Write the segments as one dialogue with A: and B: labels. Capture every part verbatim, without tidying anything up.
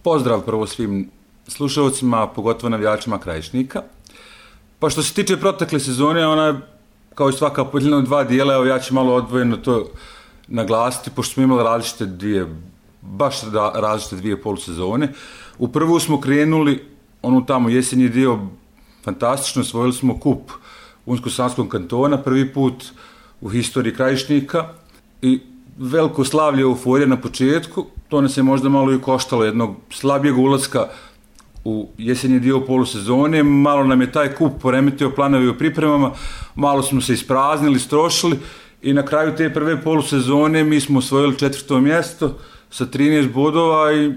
A: Pozdrav prvo svim slušalcima, pogotovo navijačima Krajišnika. Pa što se tiče protekle sezone, ona je kao i svaka podijeljena u dva dijela, evo ja ću malo odvojeno to naglasiti, pošto smo imali različite dvije, baš različite dvije polusezone. U prvu smo krenuli, onu tamo jesenji dio, fantastično, osvojili smo kup Unsko-Sanskog kantona, prvi put u historiji Krajišnika i veliko slavlje, euforija na početku, to nas je možda malo i koštalo jednog slabijeg ulaska u jesenji dio polusezone, malo nam je taj kup poremetio planovi u pripremama, malo smo se ispraznili, strošili i na kraju te prve polusezone mi smo osvojili četvrto mjesto sa trinaest bodova i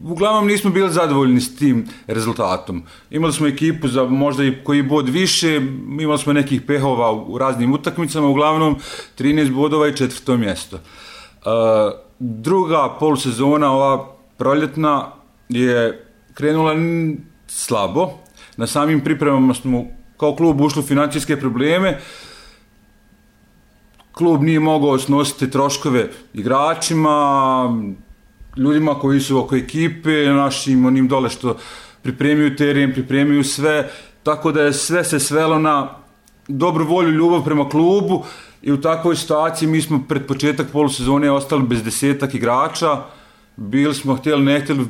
A: uglavnom nismo bili zadovoljni s tim rezultatom. Imali smo ekipu za možda i koji bod više, imali smo nekih pehova u raznim utakmicama, uglavnom trinaest bodova i četvrto mjesto. Uh, druga polusezona, ova proljetna, je krenula slabo. Na samim pripremama smo kao klub ušli u financijske probleme. Klub nije mogao snositi troškove igračima, ljudima koji su oko ekipe, našim onim dole što pripremiju teren, pripremiju sve, tako da je sve se svelo na dobru volju, ljubav prema klubu i u takvoj situaciji mi smo pred početak polusezone ostali bez desetak igrača, bili smo htjeli, ne htjeli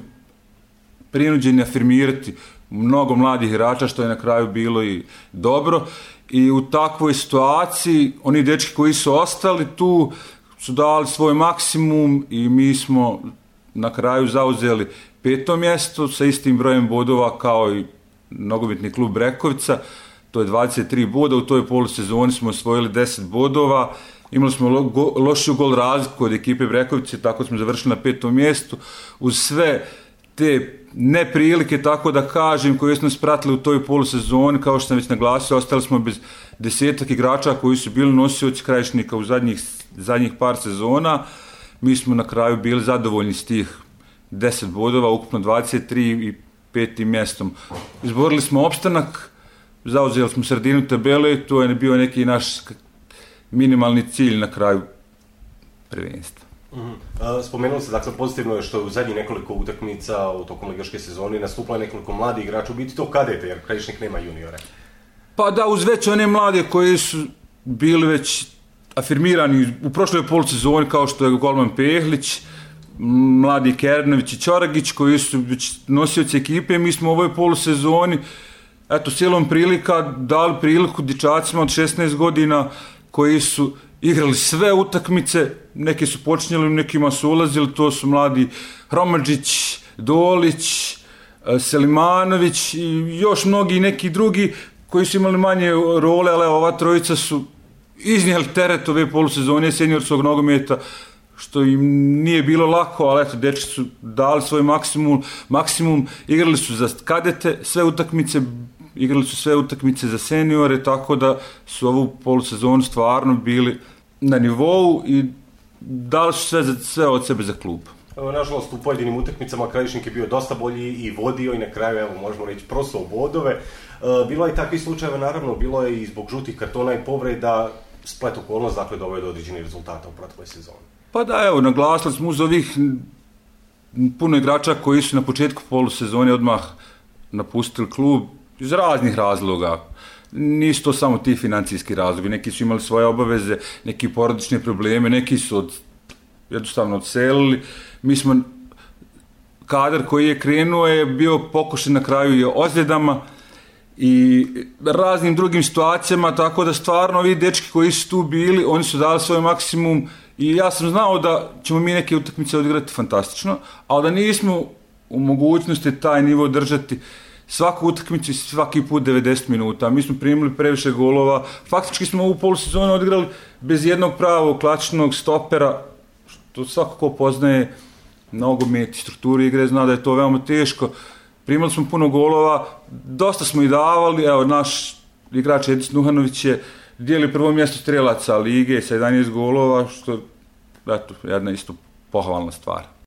A: prinuđeni afirmirati mnogo mladih igrača, što je na kraju bilo i dobro. I u takvoj situaciji oni dečki koji su ostali tu su dali svoj maksimum i mi smo na kraju zauzeli peto mjesto sa istim brojem bodova kao i nogometni klub Brekovica, to je dvadeset tri boda, u toj polusezoni smo osvojili deset bodova, imali smo lo, go, lošiju gol razliku od ekipe Brekovice, tako smo završili na petom mjestu, uz sve te neprilike, tako da kažem, koje smo spratili u toj polusezoni, kao što sam već naglasio, ostali smo bez desetak igrača koji su bili nosioci Krajišnika u zadnjih, zadnjih par sezona. Mi smo na kraju bili zadovoljni s tih deset bodova, ukupno dvadeset tri i petim mjestom. Izborili smo opstanak, zauzeli smo sredinu tabele, to je bio neki naš minimalni cilj na kraju prvenstva.
B: Mm-hmm. Uh, spomenuli se, dakle, pozitivno je što u zadnjih nekoliko utakmica u tokom ligaške sezone nastupilo nekoliko mladih igrača, u biti to kadete, jer Krajišnik nema juniore.
A: Pa da, uz već one mlade koji su bili već afirmirani u prošloj polusezoni, kao što je golman Pehlić, mladi Kernović i Čoragić, koji su već nosioci ekipe, mi smo u ovoj polusezoni, eto, silom prilika dali priliku dječacima od šesnaest godina koji su igrali sve utakmice, neki su počinjeli, nekima su ulazili, to su mladi Hromadžić, Dolić, Selimanović i još mnogi neki drugi koji su imali manje role, ali ova trojica su iznijeli teret ove polusezone seniorskog nogometa, što im nije bilo lako, ali eto, dečki su dali svoj maksimum, maksimum, igrali su za kadete sve utakmice, igrali su sve utakmice za seniore, tako da su ovu polusezonu stvarno bili na nivou i dali su sve, sve od sebe za klub.
B: Nažalost, u pojedinim utakmicama Krajišnik je bio dosta bolji i vodio i na kraju, evo, možemo reći, prosao bodove. Bilo je i takvih slučajeva, naravno, bilo je i zbog žutih kartona i povreda, splet okolnost, dakle, doveo do određenih rezultata u protekloj sezoni.
A: Pa da, evo, naglasili smo uz ovih puno igrača koji su na početku polusezone odmah napustili klub iz raznih razloga. Nisu to samo ti financijski razlogi, neki su imali svoje obaveze, neki porodične probleme, neki su od, jednostavno odselili. Mi smo, kadar koji je krenuo je bio pokušan na kraju i ozljedama i raznim drugim situacijama, tako da stvarno ovi dečki koji su tu bili, oni su dali svoj maksimum i ja sam znao da ćemo mi neke utakmice odigrati fantastično, ali da nismo u mogućnosti taj nivo držati svaku utakmicu i svaki put devedeset minuta. Mi smo primili previše golova, faktički smo ovu polusezonu odigrali bez jednog pravog klasičnog stopera, što svako ko poznaje nogomet i strukturu igre zna da je to veoma teško. Primali smo puno golova, dosta smo i davali, evo naš igrač Edis Nuhanović je dijeli prvo mjesto strelaca lige sa jedanaest golova, što je jedna isto pohvalna stvar.